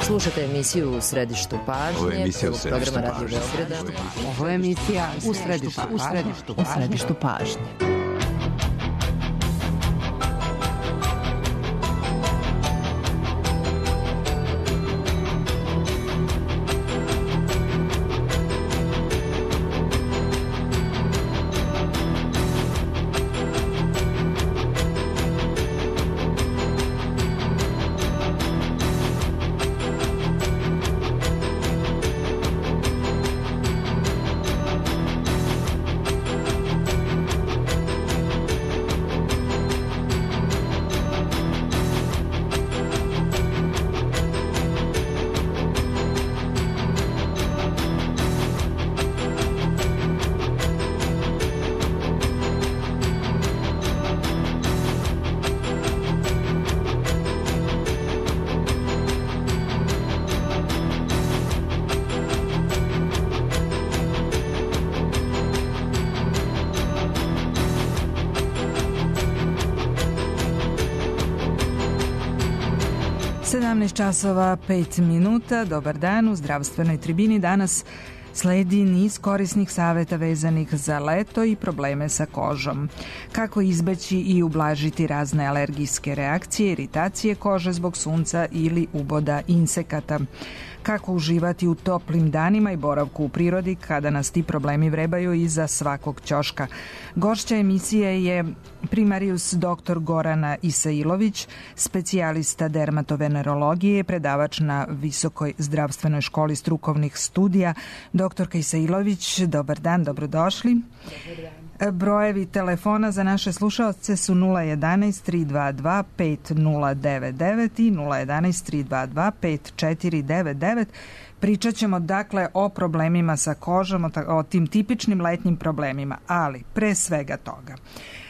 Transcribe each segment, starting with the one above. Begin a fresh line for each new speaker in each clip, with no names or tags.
Slušate emisiju U središtu pažnje, programa Radio Beograda.
Ovo je emisija U središtu pažnje.
Časova 5 minuta. Dobar dan. U zdravstvenoj tribini danas sledi niz korisnih saveta vezanih za leto i probleme sa kožom. Kako izbeći i ublažiti razne alergijske reakcije, iritacije kože zbog sunca ili uboda insekata. Kako uživati u toplim danima i boravku u prirodi kada nas ti problemi vrebaju iza svakog ćoška. Gošća emisije je primarius dr. Gorana Isailović, specijalista dermatovenerologije, predavač na Visokoj zdravstvenoj školi strukovnih studija. Doktorka Isailović, dobar dan, dobrodošli. Dobar dan. Brojevi telefona za naše slušaoce su 011 322 5099 i 011 322 5499. Pričat ćemo dakle o problemima sa kožom, o tim tipičnim letnjim problemima, ali pre svega toga.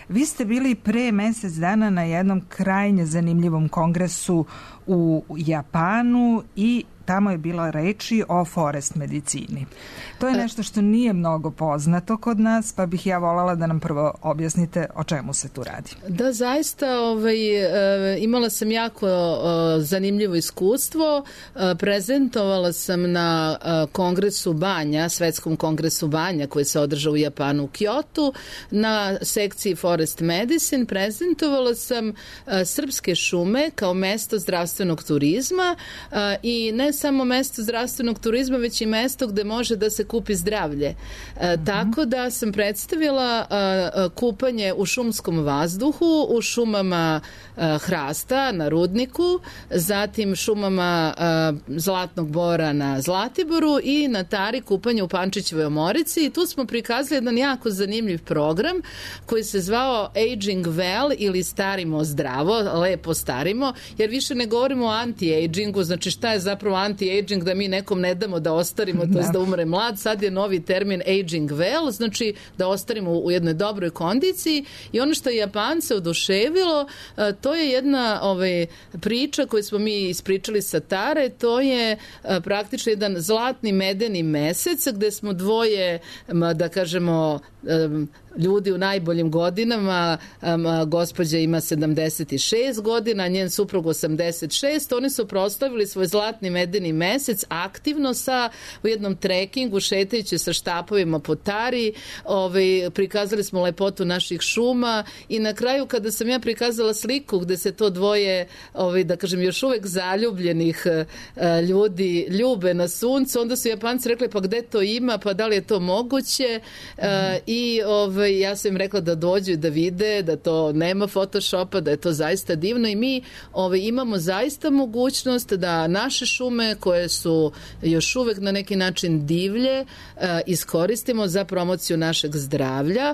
Vi ste bili pre mesec dana na jednom krajnje zanimljivom kongresu u Japanu i tamo je bila reči o forest medicini. To je nešto što nije mnogo poznato kod nas, pa bih ja voljela da nam prvo objasnite o čemu se tu radi.
Da, zaista imala sam jako zanimljivo iskustvo. Prezentovala sam na kongresu banja, svetskom kongresu banja koji se održao u Japanu u Kyotu, na sekciji Forest Medicine. Prezentovala sam srpske šume kao mesto zdravstvenog turizma i ne samo mesto zdravstvenog turizma, već i mesto gde može da se kupi zdravlje. Tako da sam predstavila kupanje u šumskom vazduhu, u šumama hrasta na Rudniku, zatim šumama zlatnog bora na Zlatiboru i na Tari kupanje u Pančićevoj Omorici. I tu smo prikazali jedan jako zanimljiv program koji se zvao Aging Well ili Starimo zdravo, lepo starimo, jer više ne govorimo o anti-agingu, znači šta je zapravo anti-aging, da mi nekom ne damo da ostarimo, to je da umre mlad. Sad je novi termin aging well, znači da ostarimo u jednoj dobroj kondiciji. I ono što je Japance oduševilo, to je jedna priča koju smo mi ispričali sa Tare, to je praktično jedan zlatni medeni mesec gde smo dvoje, da kažemo, ljudi u najboljim godinama, gospođa ima 76 godina, njen suprug 86, oni su proslavili svoj zlatni medeni mesec aktivno u jednom trekingu, šetajući sa štapovima po Tari, prikazali smo lepotu naših šuma i na kraju kada sam ja prikazala sliku gde se to dvoje, da kažem, još uvek zaljubljenih ljudi ljube na suncu, onda su Japanci rekli pa gde to ima, pa da li je to moguće i ja sam im rekla da dođu i da vide, da to nema photoshopa, da je to zaista divno i mi imamo zaista mogućnost da naše šume koje su još uvek na neki način divlje iskoristimo za promociju našeg zdravlja.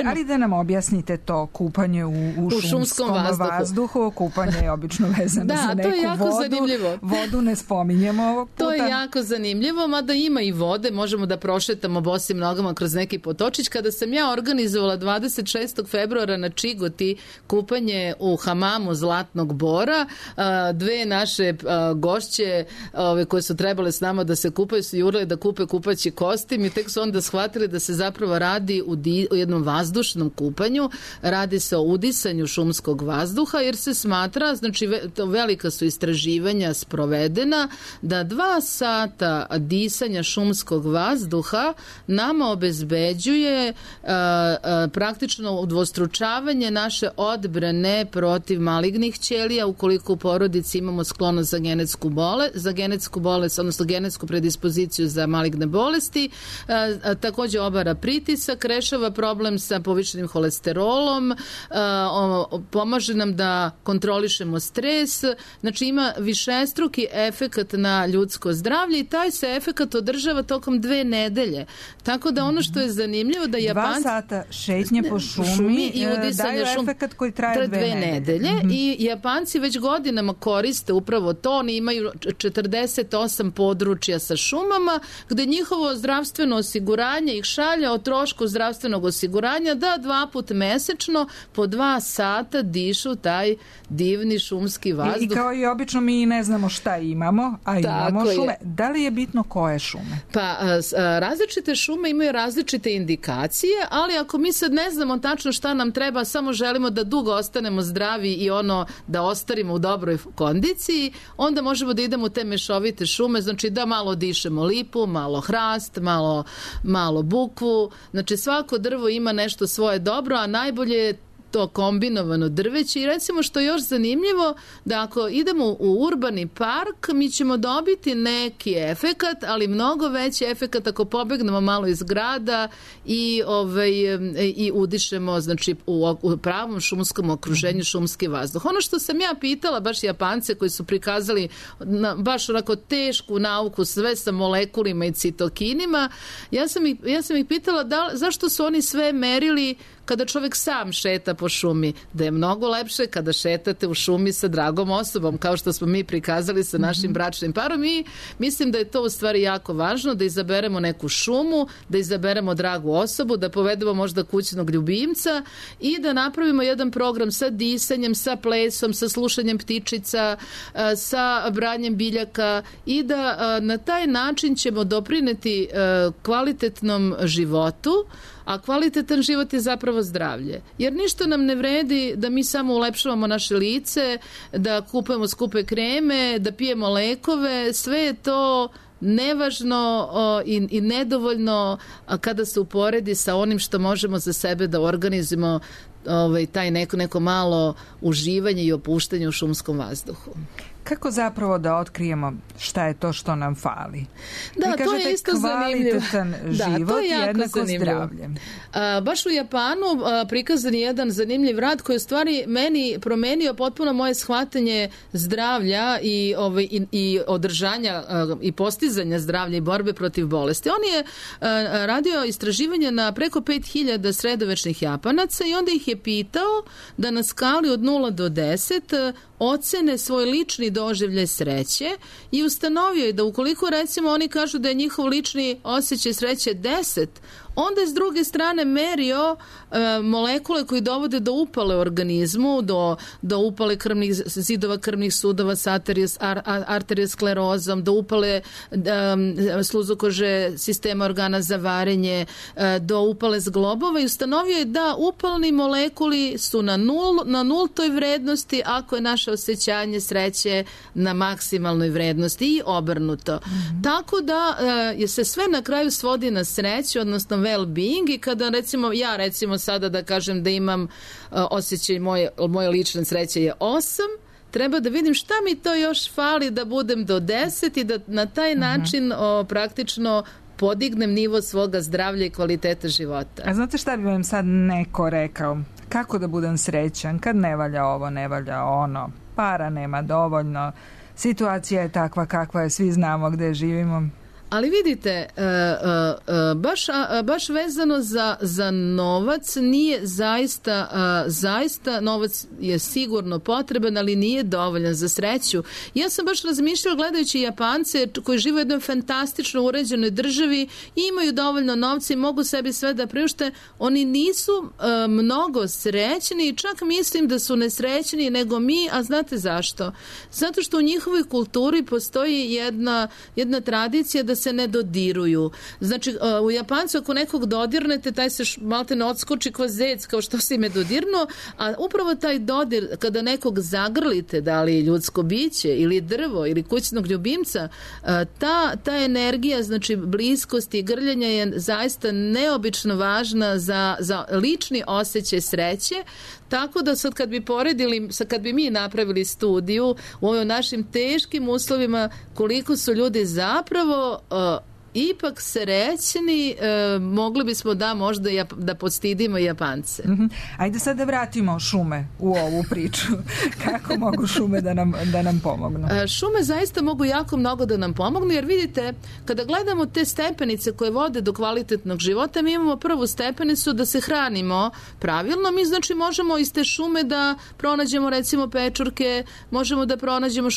Ali da nam objasnite to kupanje u šumskom vazduhu, kupanje je obično vezano za neku vodu. Da, to je jako zanimljivo. Vodu ne spominjemo ovog puta.
To je jako zanimljivo, mada ima i vode, možemo da prošetamo bosim nogama kroz neki potočić. Kada sam ja ja organizovala 26. februara na Čigoti kupanje u hamamu Zlatnog Bora. Dve naše gošće koje su trebale s nama da se kupaju su jurale da kupe kupaći kostim i tek su onda shvatili da se zapravo radi u jednom vazdušnom kupanju. Radi se o udisanju šumskog vazduha jer se smatra, znači velika su istraživanja sprovedena, da 2 sata disanja šumskog vazduha nama obezbeđuje praktično udvostručavanje naše odbrane protiv malignih ćelija ukoliko u porodici imamo sklonost za genetsku bolest, odnosno genetsku predispoziciju za maligne bolesti. Takođe obara pritisak, rešava problem sa povišenim holesterolom, pomaže nam da kontrolišemo stres, znači ima višestruki efekat na ljudsko zdravlje i taj se efekat održava tokom 2 nedelje. Tako da ono što je zanimljivo da Japanci
2 sata šetnje po šumi
i
daju efekat koji traje 2 nedelje.
I Japanci već godinama koriste upravo to. Oni imaju 48 područja sa šumama gde njihovo zdravstveno osiguranje ih šalja o trošku zdravstvenog osiguranja da 2 puta mesečno po 2 sata dišu taj divni šumski vazduh.
I kao i obično mi ne znamo šta imamo, a imamo šume. Da li je bitno koje šume?
Pa različite šume imaju različite indikacije, ali ako mi sad ne znamo tačno šta nam treba, samo želimo da dugo ostanemo zdravi i da ostarimo u dobroj kondiciji, onda možemo da idemo u te mešovite šume, znači da malo dišemo lipu, malo hrast, malo bukvu, znači svako drvo ima nešto svoje dobro, a najbolje je to kombinovano drveće i recimo što je još zanimljivo da ako idemo u urbani park mi ćemo dobiti neki efekat, ali mnogo veći efekat ako pobegnemo malo iz grada i udišemo znači u pravom šumskom okruženju šumski vazduh. Ono što sam ja pitala baš Japance koji su prikazali baš onako tešku nauku sve sa molekulima i citokinima, ja sam ih pitala zašto su oni sve merili kada čovjek sam šeta po šumi, da je mnogo lepše kada šetate u šumi sa dragom osobom, kao što smo mi prikazali sa našim bračnim parom i mislim da je to u stvari jako važno, da izaberemo neku šumu, da izaberemo dragu osobu, da povedemo možda kućnog ljubimca i da napravimo jedan program sa disanjem, sa plesom, sa slušanjem ptičica, sa branjem biljaka i da na taj način ćemo doprineti kvalitetnom životu, a kvalitetan život je zapravo zdravlje. Jer ništa nam ne vredi da mi samo ulepšavamo naše lice, da kupujemo skupe kreme, da pijemo lekove, sve je to nevažno i nedovoljno kada se uporedi sa onim što možemo za sebe da organizujemo taj neko malo uživanje i opuštanje u šumskom vazduhu.
Kako zapravo da otkrijemo šta je to što nam fali?
Da, to je isto zanimljivo.
Kvalitetan život i jednako zdravlje.
Baš u Japanu prikazan je jedan zanimljiv rad koji je u stvari meni promenio potpuno moje shvatanje zdravlja i održanja i postizanja zdravlja i borbe protiv bolesti. On je radio istraživanje na preko 5000 sredovečnih Japanaca i onda ih je pitao da na skali od 0 do 10 ocene svoj lični doživljaj sreće i ustanovio je da ukoliko recimo oni kažu da je njihov lični osjećaj sreće 10, onda je s druge strane merio molekule koji dovode do upale u organizmu, do upale zidova krvnih sudova sa arteriosklerozom, do upale sluzokože sistema organa za varenje, do upale zglobova i ustanovio je da upalni molekuli su na nultoj vrednosti ako je naše osjećanje sreće na maksimalnoj vrednosti i obrnuto. Tako da se sve na kraju svodi na sreću, odnosno well-being i kada recimo sada da kažem da imam osjećaj moje lične sreće je 8, treba da vidim šta mi to još fali da budem do 10 i da na taj način praktično podignem nivo svoga zdravlja i kvaliteta života.
A znate šta bi vam sad neko rekao? Kako da budem srećan kad ne valja ovo, ne valja ono, para nema dovoljno, situacija je takva kakva je, svi znamo gde živimo?
Ali vidite, baš vezano za novac nije zaista novac je sigurno potreban, ali nije dovoljan za sreću. Ja sam baš razmišljala gledajući Japance koji žive u jednoj fantastično uređenoj državi i imaju dovoljno novca i mogu sebi sve da priušte. Oni nisu mnogo srećni i čak mislim da su nesrećniji nego mi, a znate zašto? Zato što u njihovoj kulturi postoji jedna tradicija da se ne dodiruju. Znači, u Japancu ako nekog dodirnete, taj se malte ne odskoči kao zec, kao što si me dodirnuo, a upravo taj dodir, kada nekog zagrlite, da li ljudsko biće ili drvo ili kućnog ljubimca, ta energija, znači bliskosti i grljenja je zaista neobično važna za lični osjećaj sreće. Tako da sad kad bi mi napravili studiju u ovim našim teškim uslovima koliko su ljudi zapravo ipak srećni, mogli bismo možda da podstidimo Japance.
Ajde sad da vratimo šume u ovu priču. Kako mogu šume da nam pomognu?
Šume zaista mogu jako mnogo da nam pomognu, jer vidite, kada gledamo te stepenice koje vode do kvalitetnog života, mi imamo prvu stepenicu da se hranimo pravilno. Mi znači možemo iz te šume da pronađemo recimo pečurke, možemo da pronađemo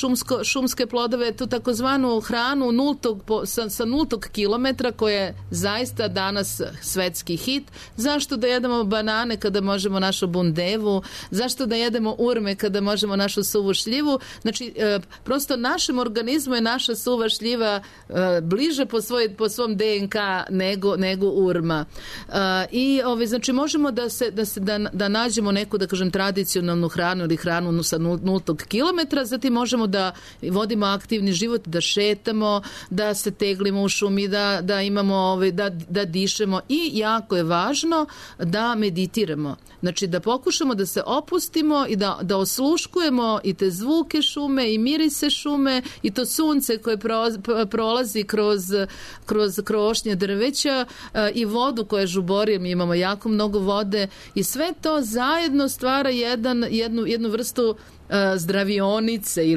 šumske plodove, tu takozvanu hranu sa nultog kilometra koja je zaista danas svetski hit. Zašto da jedemo banane kada možemo našu bundevu? Zašto da jedemo urme kada možemo našu suvu šljivu? Znači, prosto našem organizmu je naša suva šljiva bliže po svom DNK nego urma. I znači možemo da nađemo neku, da kažem, tradicionalnu hranu ili hranu sa nultog kilometra, zatim možemo da vodimo aktivni život, da šetamo, da se teglimo u šumi, da imamo, da dišemo i jako je važno da meditiramo. Znači da pokušamo da se opustimo i da osluškujemo i te zvuke šume i mirise šume i to sunce koje prolazi kroz krošnje drveća i vodu koja žubori, mi imamo jako mnogo vode i sve to zajedno stvara jednu vrstu zdravionice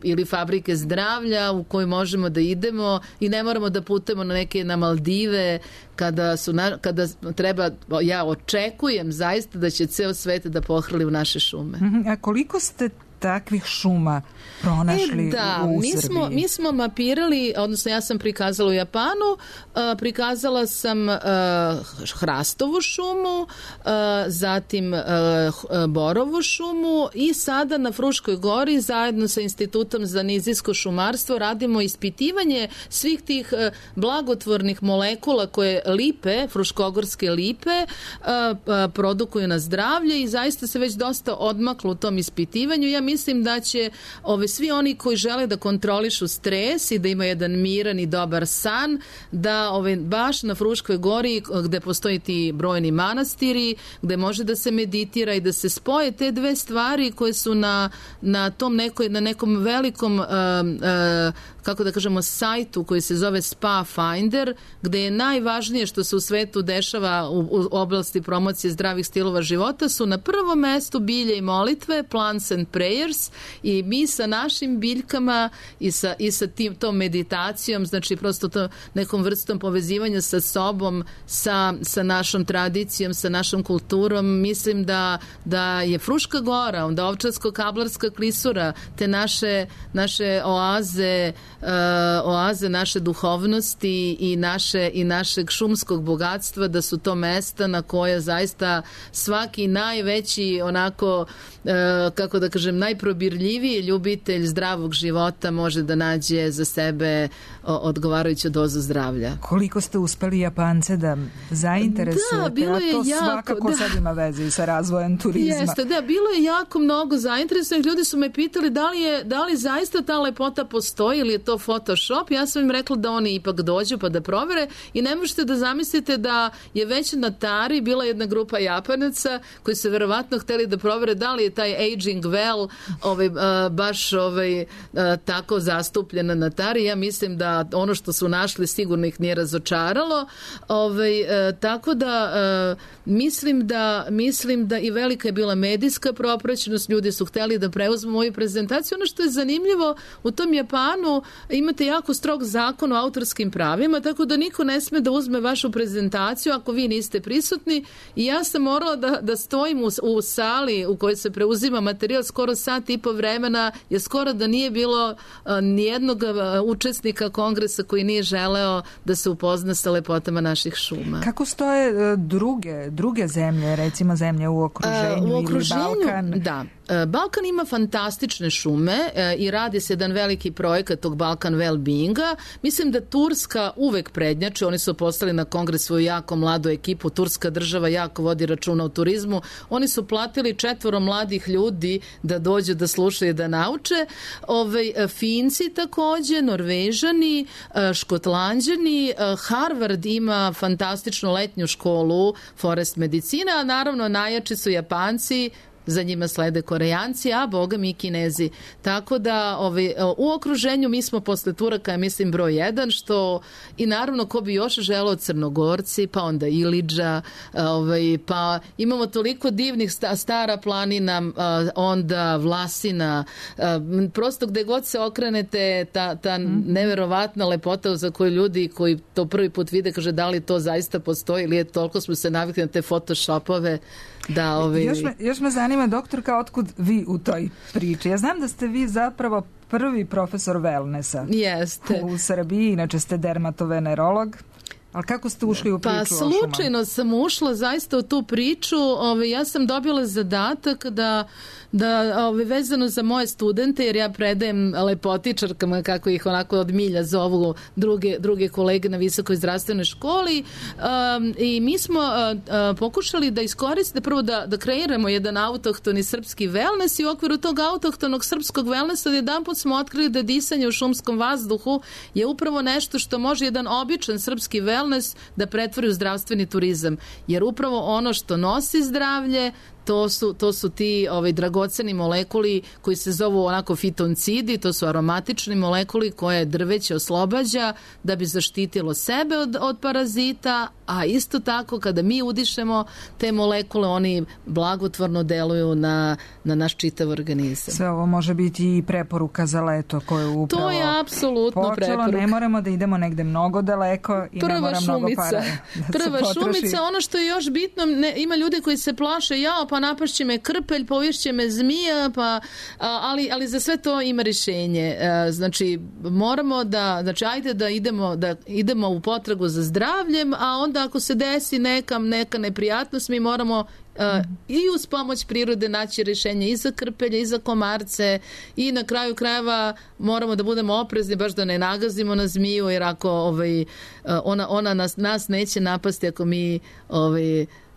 ili fabrike zdravlja u koju možemo da idemo i ne moramo da putujemo na Maldive kada treba, ja očekujem zaista da će ceo svet da pohrli u naše šume.
A koliko ste takvih šuma pronašli u Srbiji?
Mi smo mapirali, odnosno ja sam prikazala u Japanu, prikazala sam hrastovu šumu, zatim borovu šumu i sada na Fruškoj gori zajedno sa Institutom za nizijsko šumarstvo radimo ispitivanje svih tih blagotvornih molekula koje lipe, fruškogorske lipe, produkuju na zdravlje i zaista se već dosta odmaklo u tom ispitivanju. Ja mislim da će svi oni koji žele da kontrolišu stres i da imaju jedan miran i dobar san, da baš na Fruškoj gori gde postoji ti brojni manastiri, gde može da se meditira i da se spoje te dve stvari koje su na nekom velikom kako da kažemo sajtu koji se zove Spa Finder, gde je najvažnije što se u svetu dešava u oblasti promocije zdravih stilova života su na prvom mestu bilje i molitve, plants and prayers, i mi sa našim biljkama i sa tom meditacijom, znači prosto to nekom vrstom povezivanja sa sobom, sa našom tradicijom, sa našom kulturom, mislim da je Fruška gora, onda Ovčarsko-Kablarska klisura, te naše oaze naše duhovnosti i našeg šumskog bogatstva, da su to mesta na koje zaista svaki najveći onako, kako da kažem, najprobirljiviji ljubitelj zdravog života može da nađe za sebe odgovarajuću dozu zdravlja.
Koliko ste uspeli Japance da zainteresujete?
Da, bilo je
to svakako sad ima veze i sa razvojem turizma.
Jeste, da, bilo je jako mnogo zainteresovanih. Ljudi su me pitali da li zaista ta lepota postoji ili je to Photoshop. Ja sam im rekla da oni ipak dođu pa da provere i ne možete da zamislite da je već na Tari bila jedna grupa Japanaca koji su verovatno hteli da provere da li je taj aging well baš tako zastupljena na Tari. Ja mislim da ono što su našli sigurno ih nije razočaralo. Tako da mislim da i velika je bila medijska propraćenost, ljudi su hteli da preuzmu moju prezentaciju. Ono što je zanimljivo, u tom Japanu imate jako strog zakon o autorskim pravima, tako da niko ne sme da uzme vašu prezentaciju ako vi niste prisutni i ja sam morala da stojim u sali u kojoj se preuzima materijal skoro sat i po vremena, jer skoro da nije bilo nijednog učesnika kongresa koji nije želeo da se upozna sa lepotama naših šuma.
Kako stoje druge zemlje, recimo zemlje u okruženju ili Balkan?
Da. Balkan ima fantastične šume i radi se jedan veliki projekat tog Balkan Wellbeinga. Mislim da Turska uvek prednjači, oni su postali na kongres svoju jako mladu ekipu, Turska država jako vodi računa o turizmu. Oni su platili 4 mladih ljudi da dođu da slušaju i da nauče. Finci takođe, Norvežani, Škotlanđani, Harvard ima fantastičnu letnju školu forest medicina, a naravno najjači su Japanci, za njima slede Korejanci, a boga mi Kinezi. Tako da u okruženju mi smo posle Turaka, ja mislim, broj 1, što i naravno ko bi još želeo Crnogorci, pa onda Ilidža, pa imamo toliko divnih Stara planina, onda Vlasina, prosto gde god se okrenete, ta neverovatna lepota za koju ljudi koji to prvi put vide, kaže da li to zaista postoji ili je toliko smo se navikli na te photoshopove. Da,
Još me zanima, doktorka, otkud vi u toj priči? Ja znam da ste vi zapravo prvi profesor wellnessa.
Jeste.
U Srbiji, inače ste dermatovenerolog. Ali kako ste ušli u priču o šumama?
Pa slučajno sam ušla zaista u tu priču. Ja sam dobila zadatak da vezano za moje studente, jer ja predajem lepotičarkama, kako ih onako od milja zovu druge kolege na visokoj zdravstvenoj školi, i mi smo pokušali da iskoristimo, prvo da kreiramo jedan autohtoni srpski wellness i u okviru tog autohtonog srpskog wellnessa jedanput smo otkrili da disanje u šumskom vazduhu je upravo nešto što može jedan običan srpski wellness da pretvori u zdravstveni turizam, jer upravo ono što nosi zdravlje to su ti dragoceni molekuli koji se zovu onako fitoncidi, to su aromatični molekuli koje drveće oslobađa da bi zaštitilo sebe od parazita, a isto tako kada mi udišemo te molekule, oni blagotvorno deluju na naš čitav organizam.
Sve ovo može biti i preporuka za leto koje upravo
to je apsolutno preporuka.
Ne moramo da idemo negde mnogo daleko i ne mora mnogo para
Prva šumica, ono što je još bitno, ima ljudi koji se plaše, pa napašće me krpelj, povišće me zmija, ali za sve to ima rješenje. Znači, moramo ajde da idemo u potragu za zdravljem, a onda ako se desi neka neprijatnost, mi moramo i uz pomoć prirode naći rješenje i za krpelje, i za komarce, i na kraju krajeva moramo da budemo oprezni baš da ne nagazimo na zmiju, jer ako ona nas neće napasti ako mi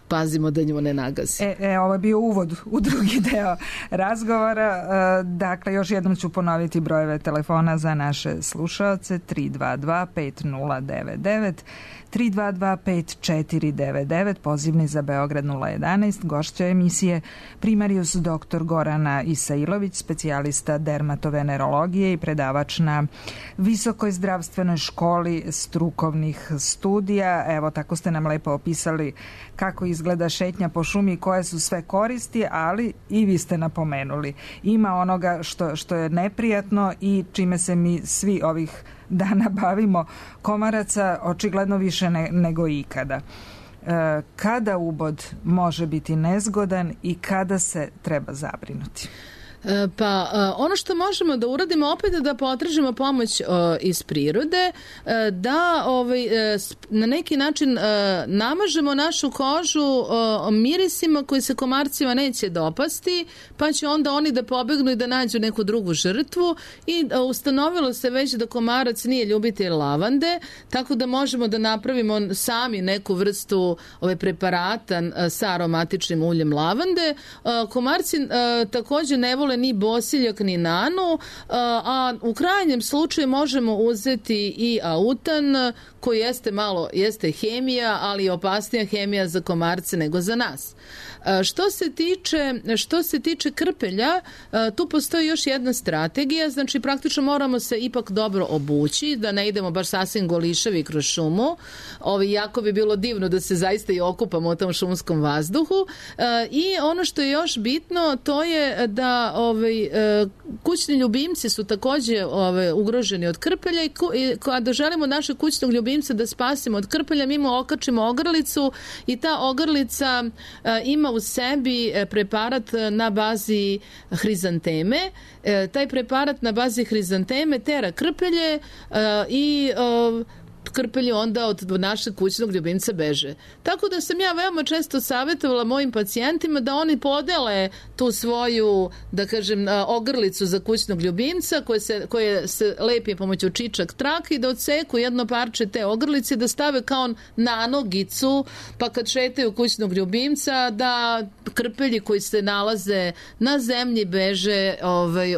pazimo da nju ne nagazi.
Ovo je bio uvod u drugi deo razgovora. Dakle, još jednom ću ponoviti brojeve telefona za naše slušaoce: 322-5099, 322-5499, pozivni za Beograd 011. Gošća emisije primarius dr. Gorana Isailović, specijalista dermatovenerologije i predavač na Visokoj zdravstvenoj školi strukovnih studija. Evo, tako ste nam lepo opisali kako izgleda šetnja po šumi, koje su sve koristi, ali i vi ste napomenuli, ima onoga što je neprijatno i čime se mi svi ovih dana bavimo, komaraca očigledno više nego ikada. Kada ubod može biti nezgodan i kada se treba zabrinuti?
Pa ono što možemo da uradimo opet je da potražimo pomoć iz prirode, da na neki način namažemo našu kožu mirisima koji se komarcima neće dopasti, pa će onda oni da pobegnu i da nađu neku drugu žrtvu, i ustanovilo se već da komarac nije ljubitelj lavande, tako da možemo da napravimo sami neku vrstu preparata sa aromatičnim uljem lavande. Komarci također ne vole vole ni bosiljak ni nanu, a u krajnjem slučaju možemo uzeti i autan koji jeste hemija, ali opasnija hemija za komarce nego za nas. Što se tiče krpelja, tu postoji još jedna strategija, znači praktično moramo se ipak dobro obući, da ne idemo baš sasvim golišavi kroz šumu. Jako bi bilo divno da se zaista i okupamo u tom šumskom vazduhu. I ono što je još bitno, to je da kućni ljubimci su takođe ugroženi od krpelja i kada želimo našeg kućnog ljubimca da spasimo od krpelja, mi mu okačimo ogrlicu i ta ogrlica ima u sebi preparat na bazi hrizanteme. Taj preparat na bazi hrizanteme tera krpelje i krpelje onda od našeg kućnog ljubimca beže. Tako da sam ja veoma često savjetovala mojim pacijentima da oni podele tu svoju, da kažem, ogrlicu za kućnog ljubimca koje se lepi pomoću čičak trake i da odseku jedno parče te ogrlice, da stave kao nanogicu, pa kad šetaju kućnog ljubimca da krpelji koji se nalaze na zemlji beže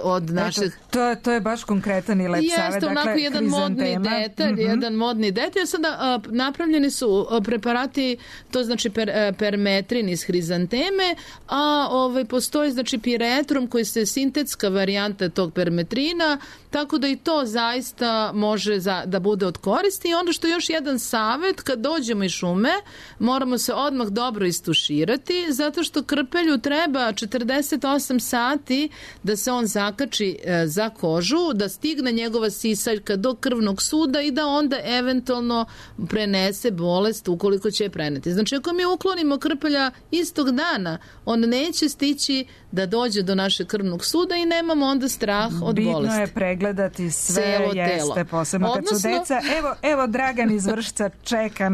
od naših...
To je baš konkretan i lep savjet.
Jeste, onako jedan modni detalj, jedan modni detalj. Sada napravljeni su preparati, to znači permetrin iz hrizanteme, a postoji znači piretrum koji je sintetska varijanta tog permetrina, tako da i to zaista može da bude od koristi. I onda što još jedan savjet, kad dođemo iz šume, moramo se odmah dobro istuširati, zato što krpelju treba 48 sati da se on zakači za kožu, da stigne njegova sisaljka do krvnog suda i da onda eventualno prenese bolest ukoliko će je preneti. Znači, ako mi uklonimo krpelja istog dana, on neće stići da dođe do našeg krvnog suda i nemamo onda strah od bolesti.
Bitno je pregledati sve, jeste, posebno kad su deca. Evo Dragan iz Vršca čeka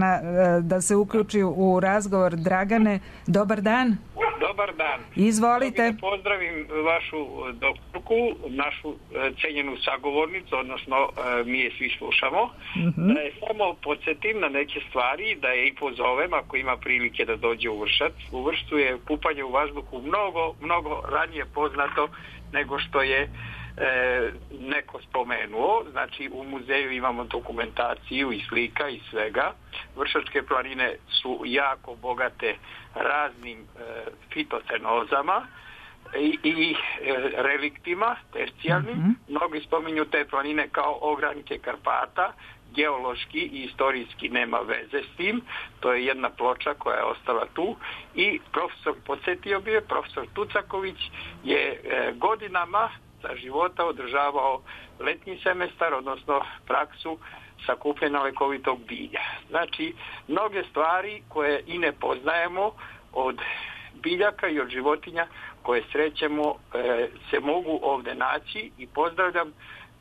da se uključi u razgovor. Dragane, dobar dan.
Dobar dan.
Izvolite.
Pozdravim vašu doktorku, našu cenjenu sagovornicu, odnosno mi je svi slušamo. Da je samo podsjetim na neke stvari, da je i pozovem ako ima prilike da dođe u Vršac. U Vršcu je pupanje u vazduhu mnogo ranije poznato nego što je neko spomenuo. Znači u muzeju imamo dokumentaciju i slika i svega. Vršačke planine su jako bogate raznim fitocenozama i reliktima tercijarnim. Mnogi spominju te planine kao ogranke Karpata. Geološki i istorijski nema veze s tim. To je jedna ploča koja je ostala tu i profesor Tucaković je godinama za života održavao letnji semestar, odnosno praksu sakupljena lekovitog bilja. Znači, mnoge stvari koje i ne poznajemo od biljaka i od životinja koje srećemo se mogu ovde naći i pozdravljam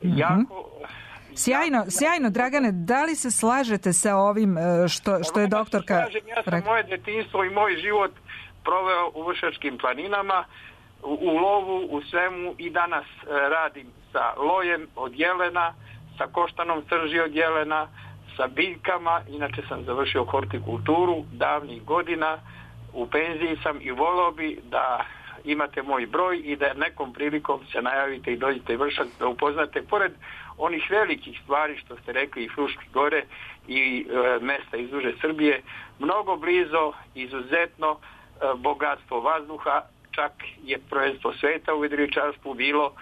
jako...
Sjajno, Dragane, da li se slažete sa ovim što je doktorka...
Ja sam moje detinjstvo i moj život proveo u Vršačkim planinama, u lovu, u svemu i danas radim sa lojem od jelena, sa koštanom srži od jelena, sa biljkama. Inače sam završio hortikulturu davnih godina, u penziji sam i volao bi da imate moj broj i da nekom prilikom se najavite i dođete u Vršac da upoznate pored onih velikih stvari što ste rekli i Fruške gore i mesta iz duže Srbije, mnogo blizo, izuzetno bogatstvo vazduha, čak je prvenstvo sveta u jedriličarstvu bilo.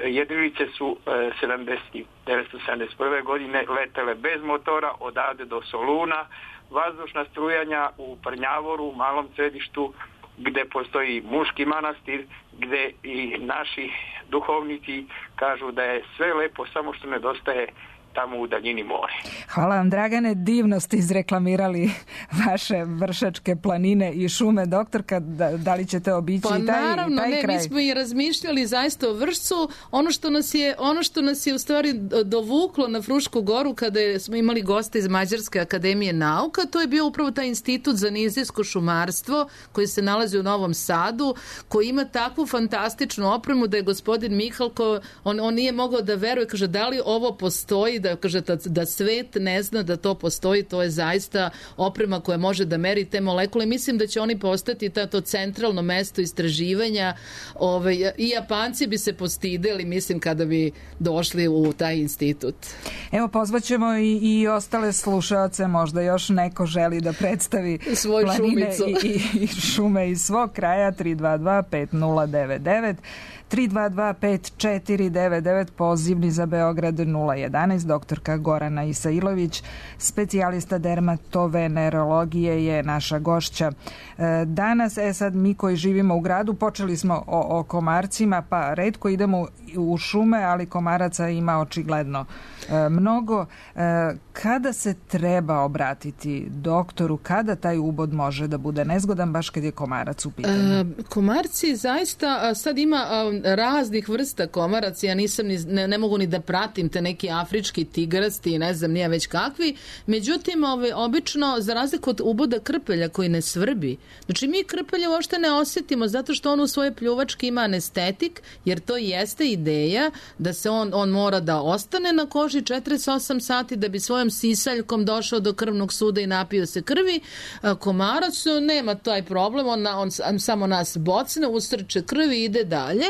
Jedrilice su 1971. godine letele bez motora odavde do Soluna, vazdušna strujanja u Prnjavoru, u malom središtu gde postoji muški manastir, gde i naši duhovnici kažu da je sve lepo, samo što nedostaje tamo u daljini more.
Hvala vam, Dragane, divno ste izreklamirali vaše Vršačke planine i šume. Doktorka, da li ćete obići taj kraj?
Naravno, mi smo i razmišljali zaista o Vršcu. Ono što nas je u stvari dovuklo na Frušku goru kada smo imali goste iz Mađarske akademije nauka, to je bio upravo taj institut za nizijsko šumarstvo koji se nalazi u Novom Sadu, koji ima takvu fantastičnu opremu da je gospodin Mihalko, on nije mogao da veruje, kaže, da li ovo postoji, da kaže da svet ne zna da to postoji, to je zaista oprema koja može da meri te molekule. Mislim da će oni postati to centralno mesto istraživanja. I Japanci bi se postideli, mislim, kada bi došli u taj institut.
Evo, pozvaćemo i ostale slušaoce, možda još neko želi da predstavi
svoju
planine
šumicu
i šume iz svog kraja. 322-5099, 322-5499, pozivni za Beograd 011. Doktorka Gorana Isailović, specijalista dermatovenerologije, je naša gošća danas. Sad mi koji živimo u gradu, počeli smo o komarcima, pa retko idemo u šume, ali komaraca ima očigledno mnogo. Kada se treba obratiti doktoru, kada taj ubod može da bude nezgodan, baš kad je komarac u pitanju?
Komarci zaista, sad ima raznih vrsta komaraca, ja ne mogu ni da pratim te neki afrički tigrasti, ne znam nije već kakvi, međutim obično za razliku od uboda krpelja koji ne svrbi, znači mi krpelja uopšte ne osjetimo zato što on u svojoj pljuvački ima anestetik, jer to jeste ideja da se on mora da ostane na koži 48 sati da bi svojom sisaljkom došao do krvnog suda i napio se krvi. Komarac nema taj problem, on samo nas bocne, usrče krvi i ide dalje.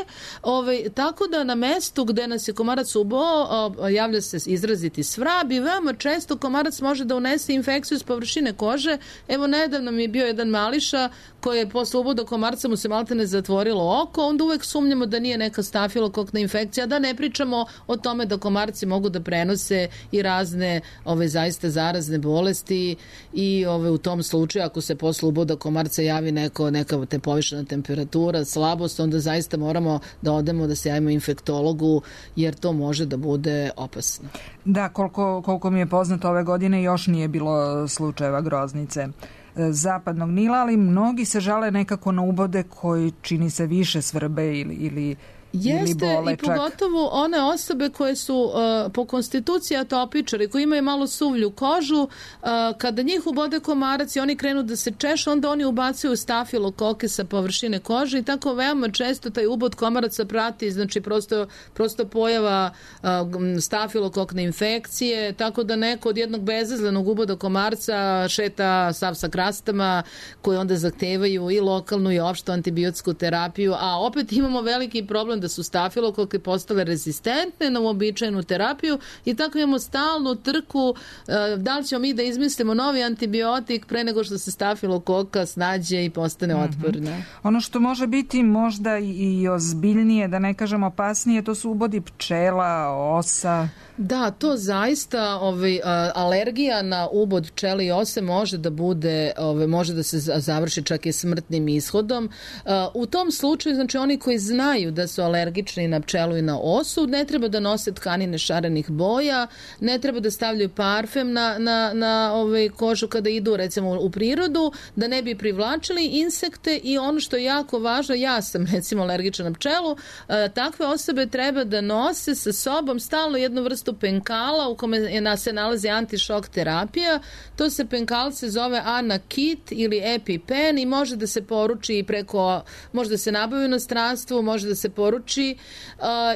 Tako da na mestu gde nas je komarac ubao javlja se izraziti svrab i veoma često komarac može da unese infekciju s površine kože. Evo, nedavno mi je bio jedan mališa koji je posle uboda komarca mu se maltene zatvorilo oko, onda uvek sumnjamo da nije neka stafilokokna infekcija, da ne pričamo o tome da komarci mogu da prenose i razne zaista zarazne bolesti i u tom slučaju ako se posle uboda komarca javi neka te povišena temperatura, slabost, onda zaista moramo da odemo da se javimo infektologu, jer to može da bude opasno.
Da, koliko mi je poznato, ove godine još nije bilo slučajeva groznice zapadnog Nila, ali mnogi se žale nekako na ubode koji čini se više svrbe ili
jeste, i pogotovo one osobe koje su po konstituciji atopičari, koji imaju malo suvlju kožu, kada njih ubode komarac i oni krenu da se češu, onda oni ubacuju stafilokoke sa površine kože i tako veoma često taj ubod komaraca prati, znači prosto pojava stafilokokne infekcije, tako da neko od jednog bezazlenog uboda komarca šeta sav sa krastama koje onda zahtevaju i lokalnu i opštu antibiotsku terapiju, a opet imamo veliki problem da su stafilokoke postale rezistentne na uobičajenu terapiju i tako imamo stalnu trku da li ćemo mi da izmislimo novi antibiotik pre nego što se stafilokoka snađe i postane otporna.
Ono što može biti možda i ozbiljnije, da ne kažem opasnije, to su ubodi pčela, osa.
Da, to zaista alergija na ubod pčele i ose može da bude, može da se završi čak i smrtnim ishodom. U tom slučaju, znači oni koji znaju da su alergični na pčelu i na osu, ne treba da nose tkanine šarenih boja, ne treba da stavljaju parfem na kožu kada idu recimo u prirodu, da ne bi privlačili insekte i ono što je jako važno, ja sam recimo alergična na pčelu, takve osobe treba da nose sa sobom stalno jednu vrstu penkala u kome se nalazi antišok terapija. To se penkal se zove Anakit ili EpiPen i može da se poruči može da se nabavi u inostranstvu, može da se poruči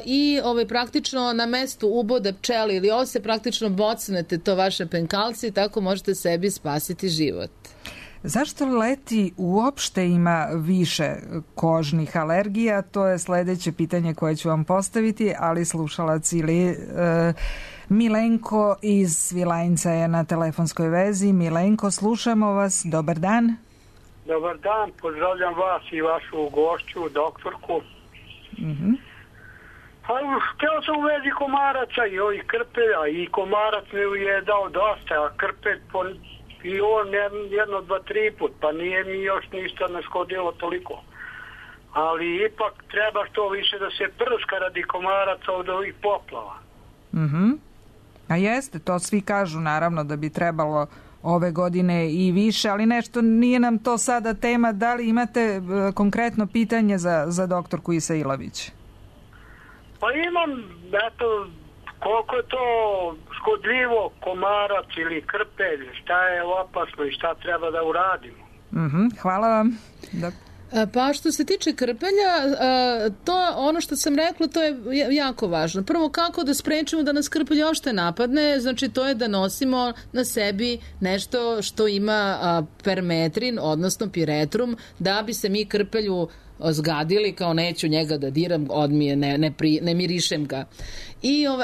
i praktično na mestu uboda pčeli ili ose praktično bocnete to vaše penkalci i tako možete sebi spasiti život.
Zašto leti uopšte ima više kožnih alergija? To je sledeće pitanje koje ću vam postaviti, ali slušalac ili Milenko iz Svilajnca je na telefonskoj vezi. Milenko, slušamo vas. Dobar dan.
Dobar dan, pozdravljam vas i vašu gošću, doktorku. Htio sam u vezi komaraca i ovih krpelja i komarac mi je dao dosta, a krpelj i on jedno, dva, tri put, pa nije mi još ništa ne škodilo toliko. Ali ipak treba što više da se prska radi komaraca od ovih poplava.
A jeste, to svi kažu naravno da bi trebalo ove godine i više, ali nešto nije nam to sada tema. Da li imate konkretno pitanje za doktorku Isailović?
Pa imam, koliko je to škodljivo komarac ili krpelj, šta je opasno i šta treba da uradimo.
Hvala vam.
Pa što se tiče krpelja, to ono što sam rekla, to je jako važno. Prvo, kako da sprečimo da nas krpelj ošte napadne, znači to je da nosimo na sebi nešto što ima permetrin, odnosno piretrum, da bi se mi krpelju zgadili, kao neću njega da diram, odmije, ne mirišem ga.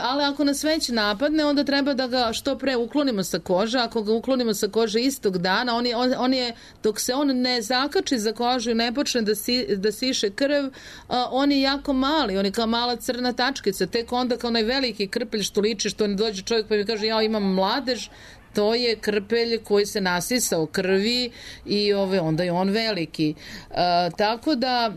Ali ako nas već napadne, onda treba da ga što pre uklonimo sa kože. Ako ga uklonimo sa kože istog dana, on je, dok se on ne zakači za kožu i ne počne da siše krv, on je jako mali, on je kao mala crna tačkica. Tek onda kao onaj veliki krpelj što liči, što ne dođe čovjek pa mi kaže ja imam mladež, to je krpelj koji se nasisao krvi i onda je on veliki. Tako da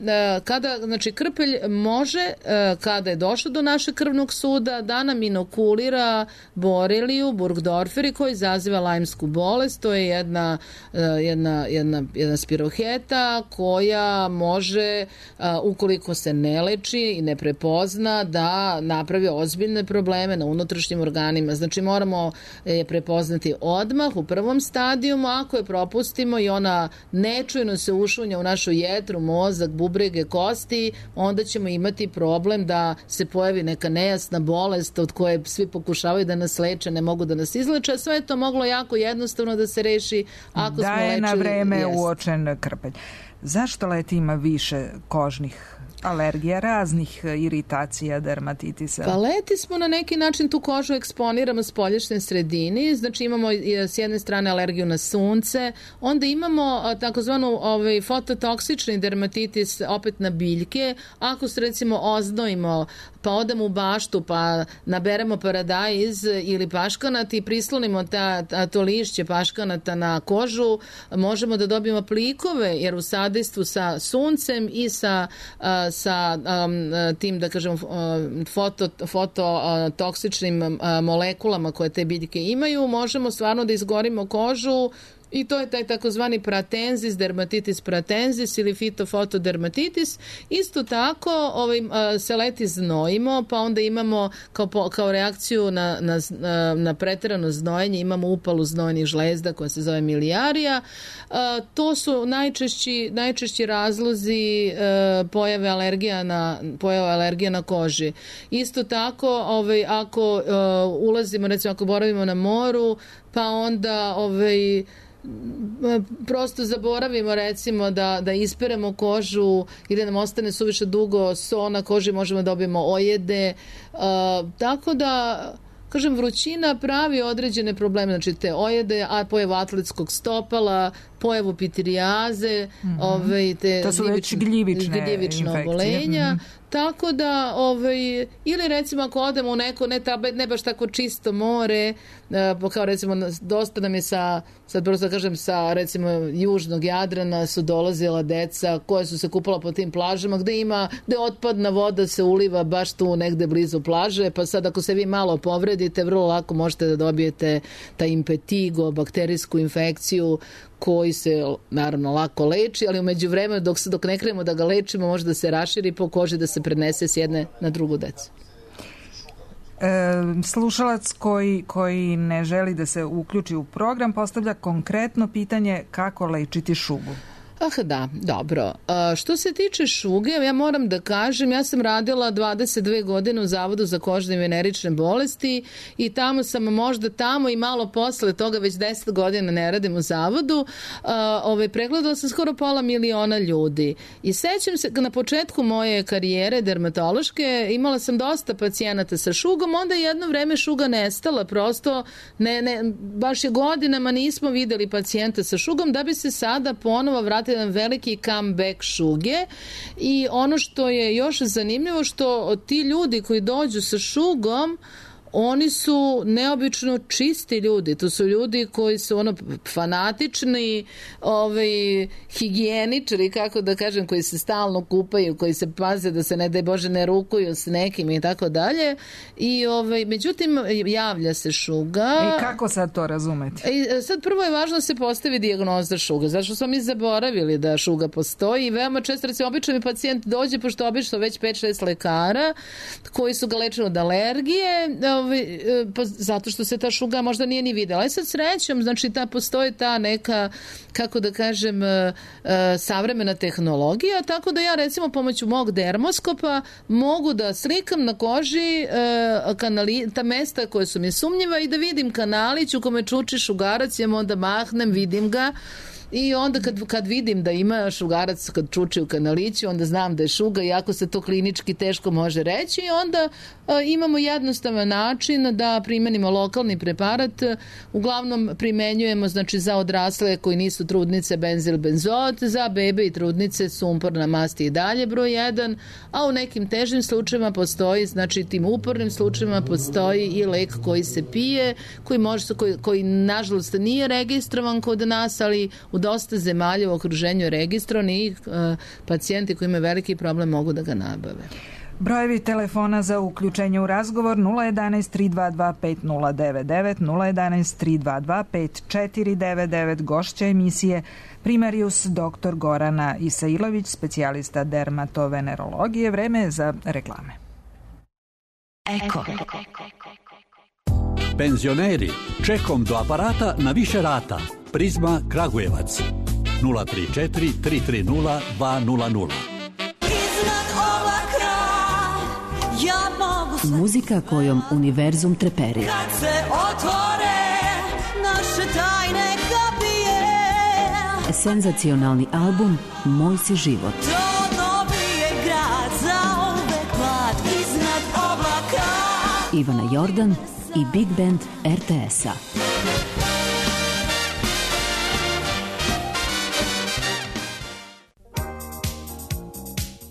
znači krpelj može, kada je došao do našeg krvnog suda, da nam inokulira boreliju, burgdorferi, koji izaziva lajmsku bolest. To je jedna spiroheta koja može, ukoliko se ne leči i ne prepozna, da napravi ozbiljne probleme na unutrašnjim organima. Znači moramo je prepoznati odmah u prvom stadijumu. Ako je propustimo i ona nečujno se ušunja u našu jetru, mozak, bubrege, kosti, onda ćemo imati problem da se pojavi neka nejasna bolest od koje svi pokušavaju da nas leče, ne mogu da nas izleče. Sve je to moglo jako jednostavno da se reši ako smo lečili. Da je na vreme
uočen krpelj. Zašto leti ima više kožnih alergija, raznih iritacija, dermatitisa?
Pa leti smo na neki način tu kožu eksponiramo spoljašnjoj sredini, znači imamo s jedne strane alergiju na sunce, onda imamo takozvanu fototoksični dermatitis opet na biljke. Ako se recimo oznojimo, pa odemo u baštu, pa naberemo paradajz ili paškanat i prislonimo to lišće paškanata na kožu, možemo da dobijemo plikove, jer u sadejstvu sa suncem i sa tim, da kažem, fototoksičnim molekulama koje te biljke imaju, možemo stvarno da izgorimo kožu. I to je taj takozvani pratensis, dermatitis pratensis ili fitofotodermatitis. Isto tako se leti znojimo, pa onda imamo kao reakciju na preterano znojenje, imamo upalu znojnih žlezda koja se zove milijarija. To su najčešći razlozi pojave alergija na koži. Isto tako, ako ulazimo, recimo ako boravimo na moru, pa onda prosto zaboravimo recimo da isperemo kožu i da nam ostane suviše dugo so na koži, možemo da dobijemo ojede, tako da kažem, vrućina pravi određene probleme, znači te ojede, a pojavu atletskog stopala, pojavu pitirijaze,
to su već gljivična
obolenja. Tako da, ili recimo ako odemo u neko ne baš tako čisto more, kao recimo dosta nam je sad prosto kažem sa recimo južnog Jadrana su dolazila deca koja su se kupala po tim plažama gde otpadna voda se uliva baš tu negde blizu plaže, pa sad ako se vi malo povredite, vrlo lako možete da dobijete taj impetigo, bakterijsku infekciju koji se naravno lako leči, ali u međuvremenu dok ne krenemo da ga lečimo može da se raširi po koži, da se prenese s jedne na drugu decu.
Slušalac koji ne želi da se uključi u program postavlja konkretno pitanje kako lečiti šugu.
Da, dobro. Što se tiče šuge, ja moram da kažem, ja sam radila 22 godine u Zavodu za kožne i venerične bolesti i možda tamo i malo posle toga, već 10 godina ne radim u Zavodu, pregledala sam skoro 500.000 ljudi. I sećam se, na početku moje karijere dermatološke, imala sam dosta pacijenata sa šugom, onda jedno vreme šuga nestala, prosto baš je godinama nismo videli pacijenta sa šugom, da bi se sada ponovo vratili jedan veliki comeback šuge. I ono što je još zanimljivo, što ti ljudi koji dođu sa šugom, oni su neobično čisti ljudi. To su ljudi koji su fanatični, higijeničari, kako da kažem, koji se stalno kupaju, koji se paze da se ne daj Bože ne rukuju s nekim i tako dalje. I međutim javlja se šuga.
I kako sad to razumeti?
Sad prvo je važno da se postavi dijagnoza šuga. Zašto smo mi zaboravili da šuga postoji i veoma često, recimo, obično mi pacijent dođe, pošto obično već 5-6 lekara koji su ga lečili od alergije, pa zato što se ta šuga možda nije ni videla. Ali sad srećom, znači postoji ta neka, kako da kažem, savremena tehnologija, tako da ja recimo pomoću mog dermoskopa mogu da slikam na koži ta mesta koje su mi sumnjiva i da vidim kanalić u kome čuči šugarac, ja onda mahnem, vidim ga. I onda kad vidim da ima šugarac kad čuči u kanaliću, onda znam da je šuga, iako se to klinički teško može reći, i onda imamo jednostavan način da primenimo lokalni preparat. Uglavnom primenjujemo, znači, za odrasle koji nisu trudnice benzilbenzot, za bebe i trudnice sumporna mast i dalje broj 1, a u nekim težim slučajevima postoji, znači tim upornim slučajevima postoji i lek koji se pije, koji nažalost nije registrovan kod nas, ali u dosta zemalja u okruženju je registrovan i pacijenti koji imaju veliki problem mogu da ga nabave.
Brojevi telefona za uključenje u razgovor 011 322 5099, 011 322 5499, gošća emisije primarius dr. Gorana Isailović, specijalista dermatovenerologije. Vreme je za reklame.
Eko.
Penzioneri, čekom do aparata na više rata. Prizma Kragujevac 034 330 200.
Muzika kojom univerzum treperi.
Kad se otvore naše tajne kapije.
Senzacionalni album Moj si život.
To dobije grad za uvek mlad iznad oblaka.
Ivana Jordan i Big Band RTS-a.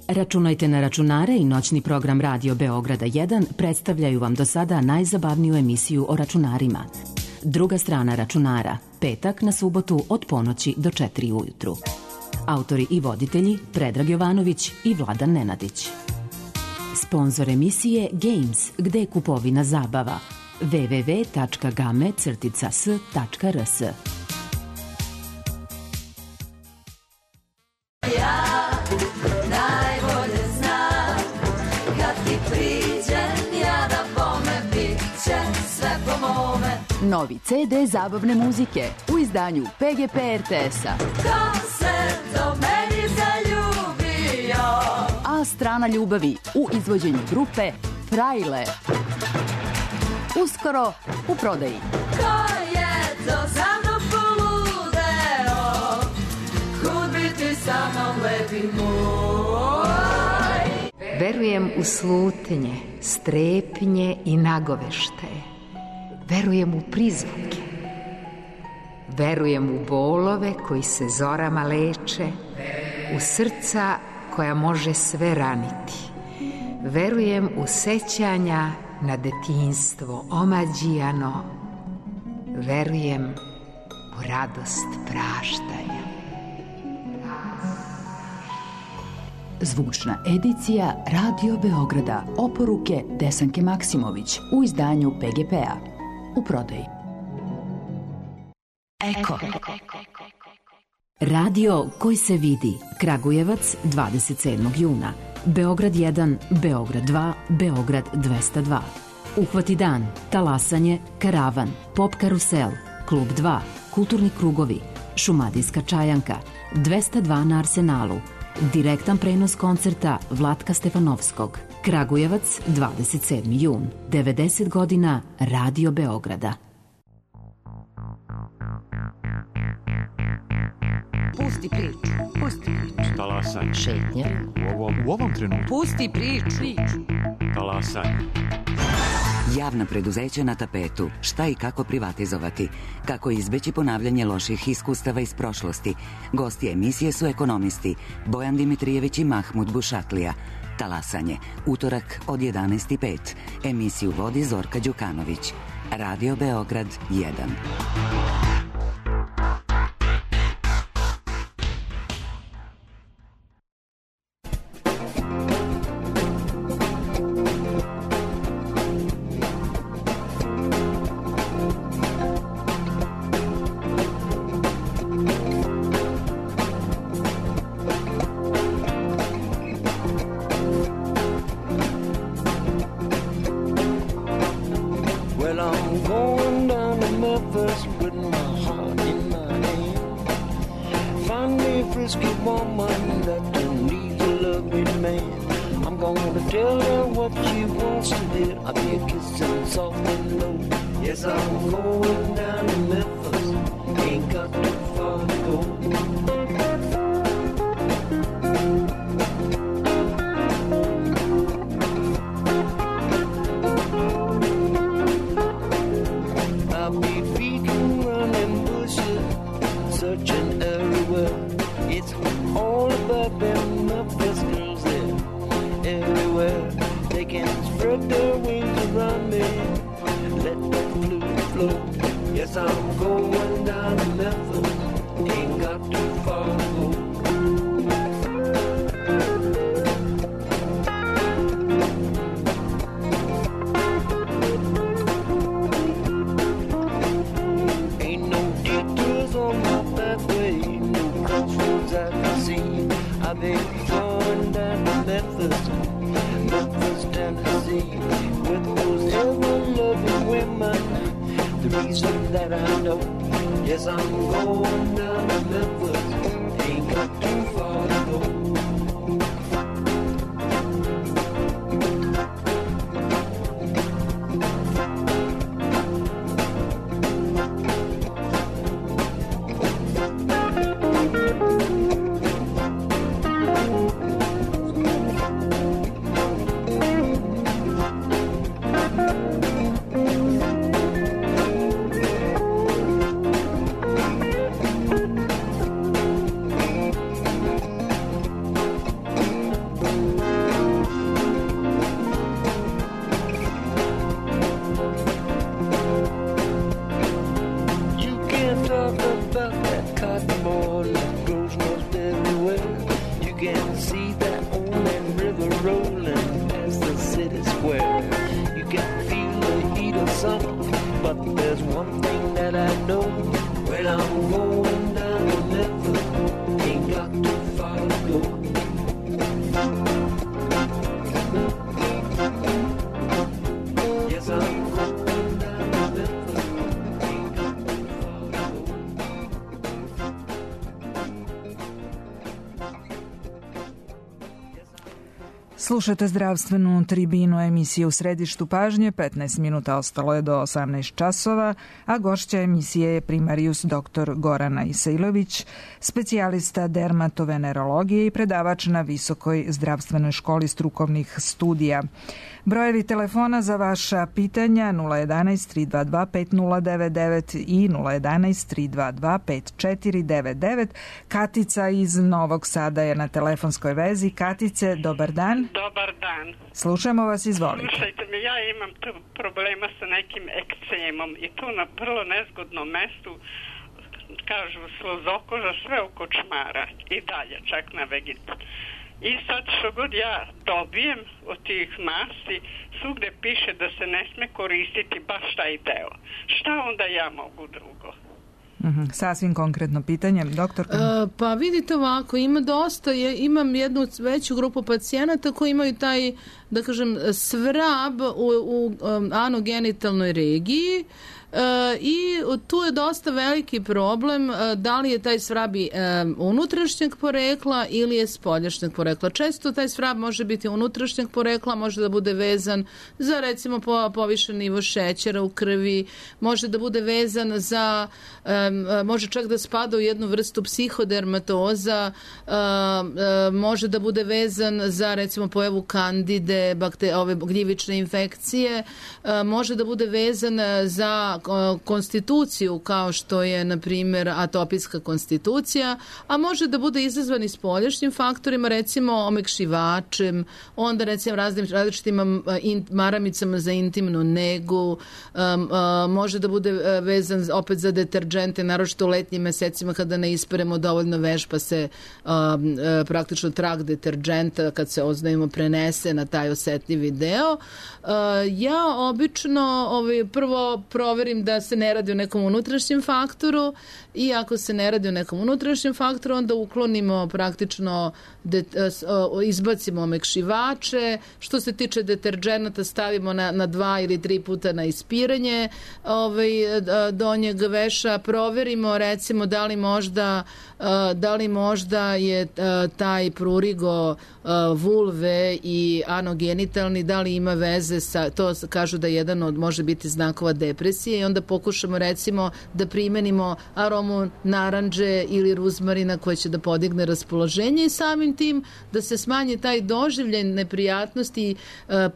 Računajte na računare i noćni program Radio Beograda 1 predstavljaju vam do sada najzabavniju emisiju o računarima. Druga strana računara, petak na subotu od ponoći do 4 ujutru. Autori i voditelji Predrag Jovanović i Vladan Nenadić. Sponzor emisije Games, gde je kupovina zabava. www.game-s.rs.
Novi CD zabavne muzike u izdanju PGP RTS-a.
Ko se do meni zaljubio?
A strana ljubavi u izvođenju grupe Frajle. Uskoro u prodaji.
Ko je to za mnom poludeo? Kud bi ti sa mnom lepi moj?
Verujem u slutnje, strepnje i nagoveštaje. Verujem u prizvuke. Verujem u bolove koji se zorama leče, u srca koja može sve raniti. Verujem u sećanja na detinjstvo omađijano. Verujem u radost praštanja.
Zvučna edicija Radio Beograda. Oporuke Desanke Maksimović u izdanju PGP-a. U prodaji.
Eko. Radio koji se vidi. Kragujevac 27. juna. Beograd 1, Beograd 2, Beograd 202. Uhvati dan, talasanje, karavan, pop karusel, klub 2, kulturni krugovi, šumadijska čajanka, 202 na Arsenalu. Direktan prenos koncerta Vlatka Stefanovskog. Kragujevac, 27. jun. 90 godina Radio Beograda.
Pusti priču.
Talasanje.
Šetnja.
U ovom trenutku.
Pusti priču.
Talasanje.
Javna preduzeća na tapetu. Šta i kako privatizovati? Kako izbeći ponavljanje loših iskustava iz prošlosti? Gosti emisije su ekonomisti Bojan Dimitrijević i Mahmud Bušatlija. Talasanje. Utorak od 11:05. Emisiju vodi Zorka Đukanović. Radio Beograd 1.
tell her what she wants to hear. I'll be a kissing soft and low. Yes, I'm going down to Memphis. Ain't got too far to go. I'll be feeding, running bushes, searching everywhere. It's all about them Memphis girls there. Everywhere they can spread their wings around me. Let the blues flow. Yes, I'm going down to Memphis. Ain't got too far to go. Ain't no detours on my pathway, no crossroads I can see. I've been going down to Memphis, Memphis, Tennessee, with those ever-loving women. The reason that I know, yes, I'm going down to Memphis. Ain't got too far to go.
Slušate zdravstvenu tribinu emisije U središtu pažnje, 15 minuta ostalo je do 18 časova, a gošća emisije je primarijus dr. Gorana Isailović, specijalista dermatovenerologije i predavač na Visokoj zdravstvenoj školi strukovnih studija. Brojevi telefona za vaša pitanja 011 322 5099 i 011 322 5499. Katica iz Novog Sada je na telefonskoj vezi. Katice, dobar dan.
Dobar dan.
Slušamo vas, izvolite.
Slušajte me, ja imam problema sa nekim ekcemom i tu na vrlo nezgodnom mestu, kažu slozokoža, sve oko čmara i dalje, čak na vegetu. I sad što god ja dobijem od tih masti, svugde piše da se ne sme koristiti baš taj deo. Šta onda ja mogu drugo?
Sasvim konkretno pitanje, doktorka.
Pa vidite ovako, ima dosta, imam jednu veću grupu pacijenata koji imaju taj, da kažem, svrab u anogenitalnoj regiji, i tu je dosta veliki problem da li je taj svrab unutrašnjeg porekla ili je spoljašnjeg porekla. Često taj svrab može biti unutrašnjeg porekla, može da bude vezan za recimo povišen nivo šećera u krvi, može da bude vezan za, može čak da spada u jednu vrstu psihodermatoza, može da bude vezan za recimo pojavu kandide, ove gljivične infekcije, može da bude vezan za konstituciju kao što je na primjer atopijska konstitucija, a može da bude izazvan i spoljašnjim faktorima, recimo omekšivačem, onda recimo različitim maramicama za intimnu negu, može da bude vezan opet za deterđente, naročito u letnjim mesecima kada ne isperemo dovoljno veš pa se praktično trag deterđenta kad se oznajemo prenese na taj osetljivi deo. Ja obično prvo proverim da se ne radi o nekom unutrašnjem faktoru i ako se ne radi o nekom unutrašnjem faktoru, onda uklonimo praktično, izbacimo omekšivače. Što se tiče deterđenata, stavimo na 2 ili 3 puta na ispiranje donjeg veša. Proverimo recimo da li možda je taj prurigo vulve i anogenitalni, da li ima veze sa, to kažu da jedan od može biti znakova depresije i onda pokušamo recimo da primenimo aromu naranđe ili ruzmarina koja će da podigne raspoloženje i samim tim da se smanji taj doživljaj neprijatnosti,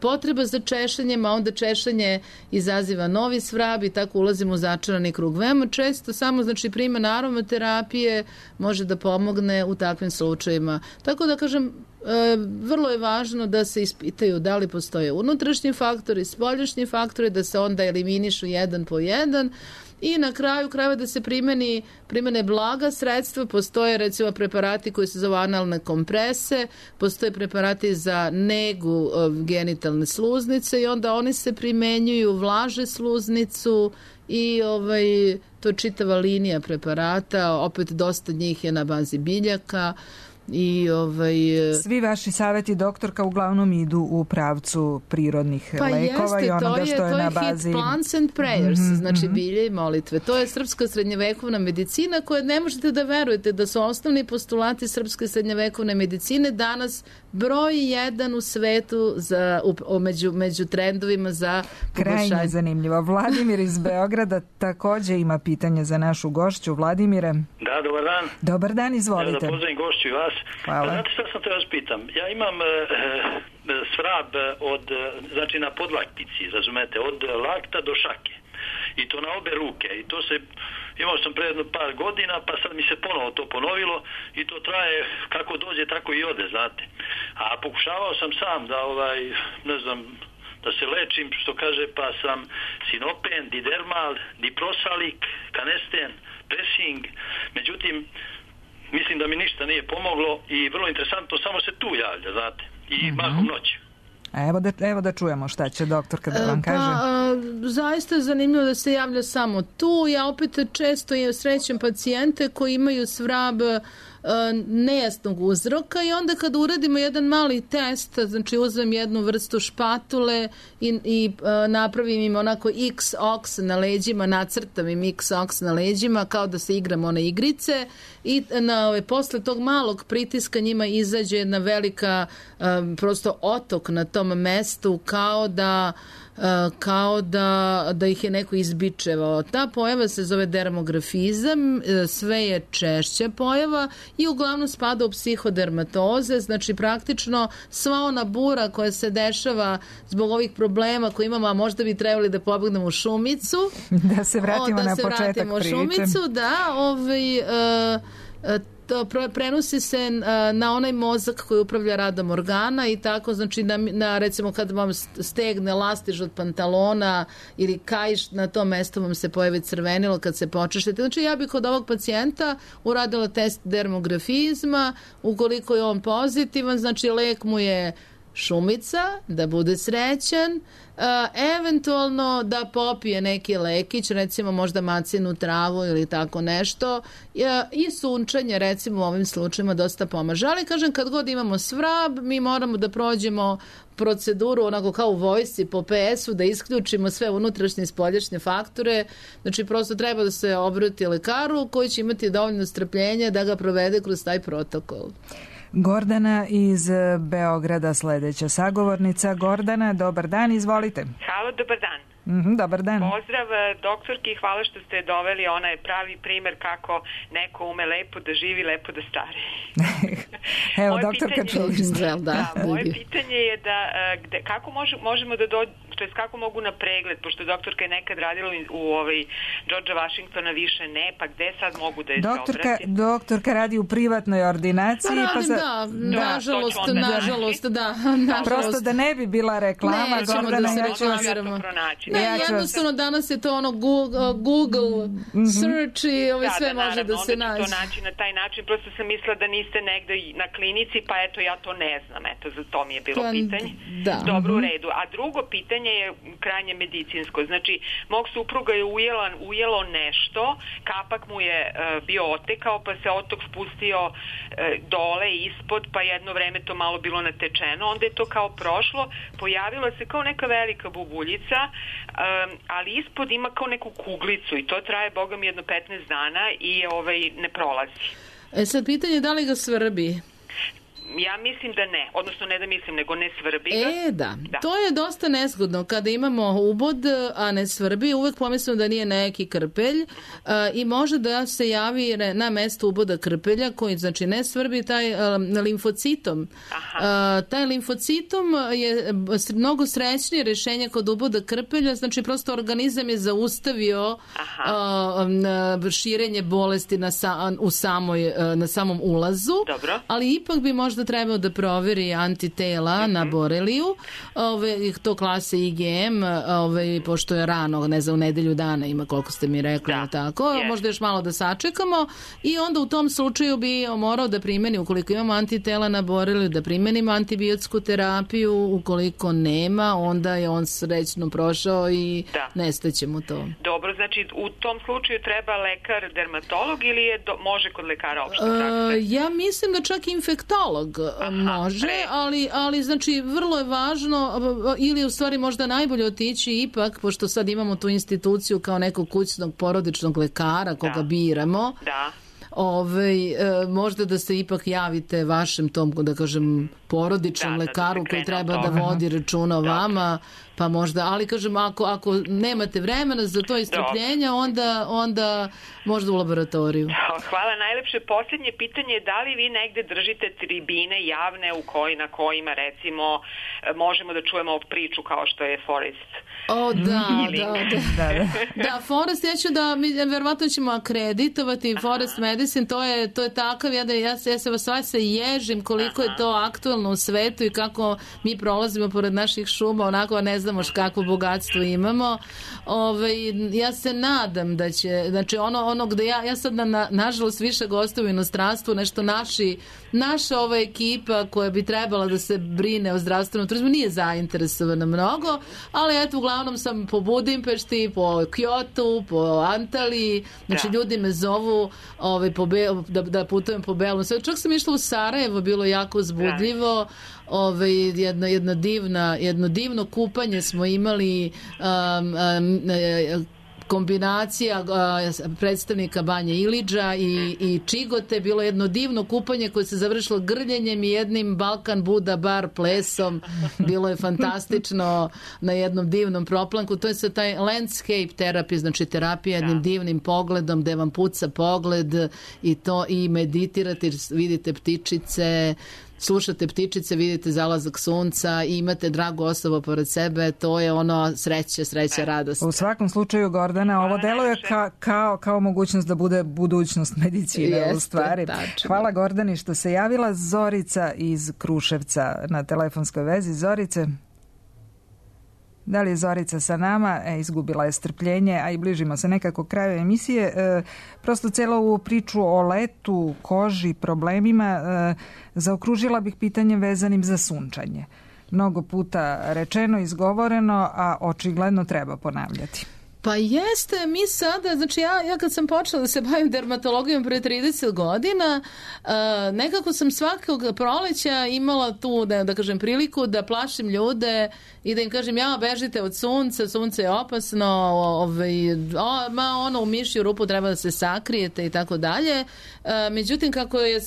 potreba za češenjem, a onda češanje izaziva novi svrab i tako ulazimo u začarani krug. Veoma često samo znači primjena aromaterapije može da pomogne u takvim slučajima. Tako da kažem, vrlo je važno da se ispitaju da li postoje unutrašnji faktori, spoljašnji faktori, da se onda eliminišu jedan po jedan i na kraju krajeva da se primene blaga sredstva. Postoje recimo preparati koji se zove analne komprese, postoje preparati za negu genitalne sluznice i onda oni se primenjuju, vlaže sluznicu i to je čitava linija preparata, opet dosta njih je na bazi biljaka. I
svi vaši savjeti, doktorka, uglavnom idu u pravcu prirodnih lekova i onoga što je na bazi.
To je plants and prayers, znači bilje i molitve. To je srpska srednjevekovna medicina koja ne možete da verujete da su osnovni postulati srpske srednjevekovne medicine danas broj 1 u svetu među trendovima za poboljšanje.
Krajnje zanimljivo. Vladimir iz Beograda također ima pitanje za našu gošću. Vladimire.
Da, dobar dan.
Dobar dan, izvolite.
Da pozdravim gošću i vas.
Hvala.
Pa znate što sam te vas pitam? Ja imam svrab znači na podlaktici, razumete, od lakta do šake. I to na obe ruke. I to se, imao sam pre jedno par godina, pa sad mi se ponovo to ponovilo i to traje kako dođe, tako i ode, znate. A pokušavao sam sam da, ne znam, da se lečim, što kaže, pa sam sinopen, didermal, diprosalik, kanesten, pressing. Međutim, mislim da mi ništa nije pomoglo i vrlo interesantno, samo se tu javlja, znate, i mahom noći.
Evo da čujemo šta će doktorka da vam kaže.
Zaista je zanimljivo da se javlja samo tu. Ja opet često srećem pacijente koji imaju svrab nejasnog uzroka i onda kad uradimo jedan mali test, znači uzmem jednu vrstu špatule i napravim im onako X-ox na leđima, nacrtam im X-ox na leđima kao da se igram one igrice i posle tog malog pritiska njima izađe jedna velika prosto otok na tom mestu kao da ih je neko izbičevao. Ta pojava se zove dermografizam, sve je češća pojava i uglavnom spada u psihodermatoze, znači praktično sva ona bura koja se dešava zbog ovih problema koje imamo, a možda bi trebali da pobegnemo u šumicu.
Da se vratimo na početak priče.
Šumicu, prenosi se na onaj mozak koji upravlja radom organa i tako, znači na recimo kad vam stegne lastiž od pantalona ili kaiš, na tom mestu vam se pojavi crvenilo kad se počešete. Znači ja bih kod ovog pacijenta uradila test dermografizma, ukoliko je on pozitivan, znači lek mu je šumica, da bude srećan, eventualno da popije neki lekić, recimo možda macinu travu ili tako nešto, i sunčanje recimo u ovim slučajima dosta pomaže. Ali kažem, kad god imamo svrab, mi moramo da prođemo proceduru onako kao u vojsci po PS-u, da isključimo sve unutrašnje i spoljašnje faktore, znači prosto treba da se obrati lekaru koji će imati dovoljno strpljenja da ga provede kroz taj protokol.
Gordana iz Beograda, sledeća sagovornica. Gordana, dobar dan, izvolite.
Halo, dobar dan.
Dobar dan.
Pozdrav doktorki, hvala što ste doveli onaj pravi primer kako neko ume lepo da živi, lepo da stari.
Evo, doktorka čuli.
Moje pitanje je da kako možemo da kako mogu na pregled, pošto doktorka je nekad radila u Georgea Washingtona, više ne, pa gde sad mogu da je se obratim?
Doktorka radi u privatnoj ordinaciji.
Nažalost.
Prosto da ne bi bila reklama, Gordana, ja ću vas pronaći.
Jednostavno danas je to ono Google search i sve može da se nađe.
To naći na taj način, prosto sam mislila da niste negde na klinici, pa eto ja to ne znam, eto za to mi je bilo pitanje. Dobro, u redu. A drugo pitanje je krajnje medicinsko. Znači, mog supruga je ujelo nešto, kapak mu je bio otekao, pa se otok spustio dole ispod, pa jedno vreme to malo bilo natečeno, onda je to kao prošlo, pojavila se kao neka velika bubuljica, ali ispod ima kao neku kuglicu i to traje, boga mi, jedno 15 dana i ne prolazi.
Sad pitanje je da li ga svrbi?
Ja mislim da ne, odnosno ne da mislim, nego ne svrbi ga.
Da, to je dosta nezgodno. Kada imamo ubod, a ne svrbi, uvek pomislimo da nije neki krpelj i može da se javi na mesto uboda krpelja koji, znači, ne svrbi taj limfocitom. Taj limfocitom je mnogo srećnije rešenje kod uboda krpelja, znači prosto organizam je zaustavio širenje bolesti na samom ulazu.
Dobro.
Ali ipak bi možda trebao da proveri antitela na boreliju, to klase IgM, pošto je rano, ne znam, u nedelju dana ima, koliko ste mi rekli, tako, možda još malo da sačekamo i onda u tom slučaju bi morao da primeni, ukoliko imamo antitela na boreliju, da primenimo antibiotsku terapiju, ukoliko nema, onda je on srećno prošao i nestaće mu to.
Dobro, znači u tom slučaju treba lekar dermatolog ili može kod lekara opšte prakse?
Ja mislim da čak infektolog može, ali znači vrlo je važno, ili u stvari možda najbolje otići ipak, pošto sad imamo tu instituciju kao nekog kućnog porodičnog lekara koga biramo, možda da se ipak javite vašem tom, da kažem, porodičnom lekaru koji treba da vodi računa o vama, pa možda, ali kažem, ako nemate vremena za to istrpljenja, onda možda u laboratoriju.
Hvala najlepše. Posljednje pitanje je da li vi negde držite tribine javne na kojima, recimo, možemo da čujemo priču kao što je Forest?
Da, Forest, ja ću da, verovatno ćemo akreditovati Forest Medicine, to je takav, ja se vas sve ježim koliko je to aktualno u svetu i kako mi prolazimo pored naših šuma, onako ne znamo kakvo bogatstvo imamo. Ja se nadam da će, znači ono gde ja sad nažalost više gostujem u inostranstvu, nešto naša ova ekipa koja bi trebala da se brine o zdravstvenom turizmu nije zainteresovana mnogo, ali eto, uglavnom sam po Budimpešti, po Kyotu, po Antaliji, znači ljudi me zovu da putujem po Belom svetu. Čak sam išla u Sarajevo, bilo jako uzbudljivo, jedno divno kupanje smo imali, kombinacija predstavnika Banje Iliđa i Čigote, bilo jedno divno kupanje koje se završilo grljenjem i jednim Balkan Buda bar plesom, bilo je fantastično na jednom divnom proplanku. To je sad taj landscape terapija, znači terapija jednim divnim pogledom gde vam puca pogled i meditirate, vidite ptičice, slušate ptičice, vidite zalazak sunca i imate dragu osobu pored sebe, to je ono sreća, radost.
U svakom slučaju, Gordana, ovo deluje kao mogućnost da bude budućnost medicine u stvari. Hvala Gordani što se javila. Zorica iz Kruševca na telefonskoj vezi. Zorice? Da li je Zorica sa nama? Izgubila je strpljenje, a i bližimo se nekako kraju emisije. Prosto celu ovu priču o letu, koži, problemima zaokružila bih pitanjem vezanim za sunčanje. Mnogo puta rečeno, izgovoreno, a očigledno treba ponavljati.
Pa jeste, mi sada, znači ja kad sam počela da se bavim dermatologijom pre 30 godina, nekako sam svakog proleća imala tu, da kažem, priliku da plašim ljude i da im kažem, bežite od sunca, sunce je opasno, u mišju rupu treba da se sakrijete i tako dalje. Međutim, kako je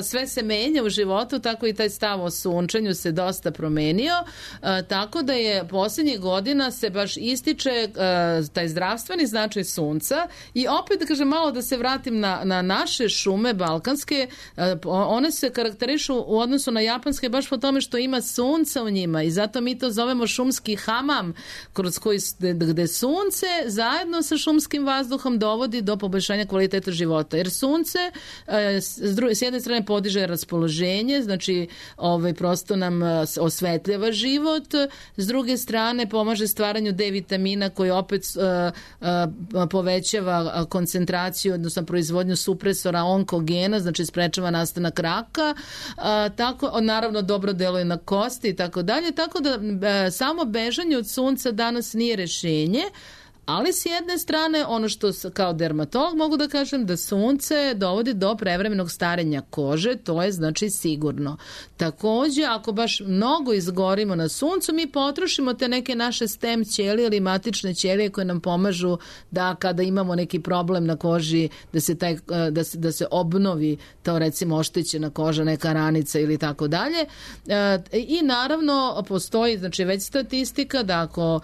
sve se menja u životu, tako i taj stav o sunčanju se dosta promenio, tako da je posljednjih godina se baš ističe taj zdravstveni značaj sunca i opet, da kažem, malo da se vratim na naše šume balkanske, one se karakterišu u odnosu na japanske baš po tome što ima sunca u njima i zato mi to zovemo šumski hamam, gde sunce zajedno sa šumskim vazduhom dovodi do poboljšanja kvaliteta života, jer sunce s jedne strane podiže raspoloženje, znači prosto nam osvetljava život, s druge strane pomaže stvaranju D vitamina koji opet povećava koncentraciju, odnosno proizvodnju supresora onkogena, znači sprečava nastanak raka, tako, naravno dobro deluje na kosti i tako dalje, tako da samo bežanje od sunca danas nije rešenje, Ali s jedne strane, ono što kao dermatolog mogu da kažem da sunce dovodi do prevremenog starenja kože, to je znači sigurno. Takođe, ako baš mnogo izgorimo na suncu, mi potrošimo te neke naše stem ćelije ili matične ćelije koje nam pomažu da kada imamo neki problem na koži, da se obnovi to recimo oštećena koža, neka ranica ili tako dalje. I naravno postoji znači već statistika da ako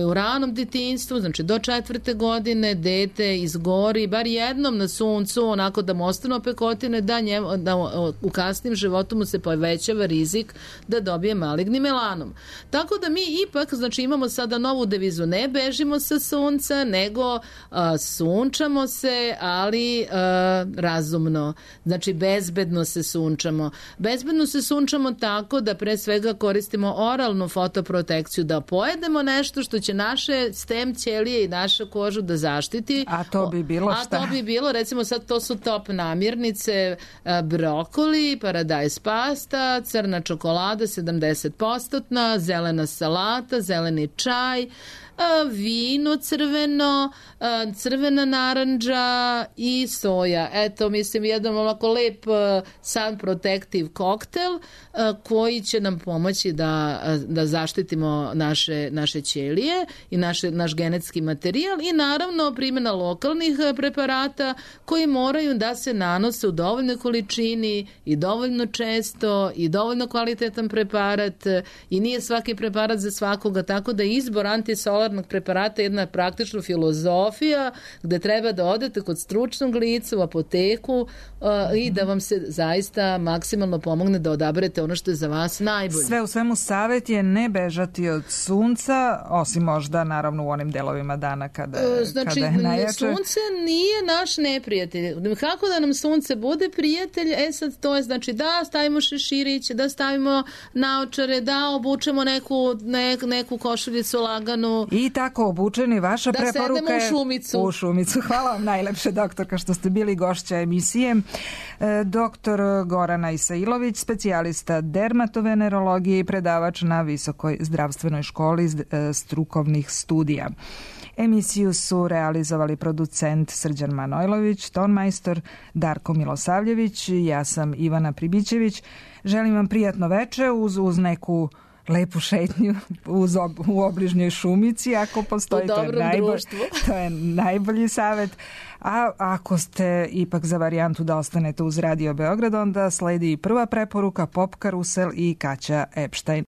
u ranom detinjstvu, znači do 4. godine dete izgori bar jednom na suncu, onako da mu ostanu opekotine, da u kasnim životu mu se povećava rizik da dobije maligni melanom. Tako da mi ipak znači imamo sada novu devizu, ne bežimo sa sunca, nego sunčamo se, ali razumno. Znači bezbedno se sunčamo. Bezbedno se sunčamo tako da pre svega koristimo oralnu fotoprotekciju, da pojedemo nešto što će naše stem ćelije i našu kožu da zaštiti.
A to bi bilo šta?
A to bi bilo, recimo sad to su top namirnice, brokoli, paradajz pasta, crna čokolada 70%, zelena salata, zeleni čaj, vino crveno, crvena narandža i soja. Eto, mislim, jedan ovako lep sun protective koktel koji će nam pomoći da zaštitimo naše ćelije i naš genetski materijal i naravno primjena lokalnih preparata koji moraju da se nanose u dovoljnoj količini i dovoljno često i dovoljno kvalitetan preparat i nije svaki preparat za svakoga, tako da izbor antisolarnog preparata je jedna praktična filozofija gde treba da odete kod stručnog lica u apoteku i da vam se zaista maksimalno pomogne da odaberete ono što je za vas najbolje.
Sve u svemu savjet je ne bežati od sunca, osim možda naravno u onim delovima dana kada je najjače.
Sunce nije naš neprijatelj. Kako da nam sunce bude prijatelj? Sad to je znači da stavimo šeširić, da stavimo naočare, da obučemo neku košuljicu laganu.
I tako obučeni, vaša preporuka je...
Da sedemo u
šumicu. Hvala vam najlepše, doktorka, što ste bili gošća emisije. Doktor Gorana Isailović, specijalista dermatovenerologije i predavač na Visokoj zdravstvenoj školi strukovnih studija. Emisiju su realizovali producent Srđan Manojlović, tonmajstor Darko Milosavljević, ja sam Ivana Pribićević. Želim vam prijatno veče uz neku lepu šetnju u obližnjoj šumici, ako postoji, to je najbolji savjet. A ako ste ipak za varijantu da ostanete uz Radio Beograd, onda sledi prva preporuka Pop Karusel i Kaća Epstein.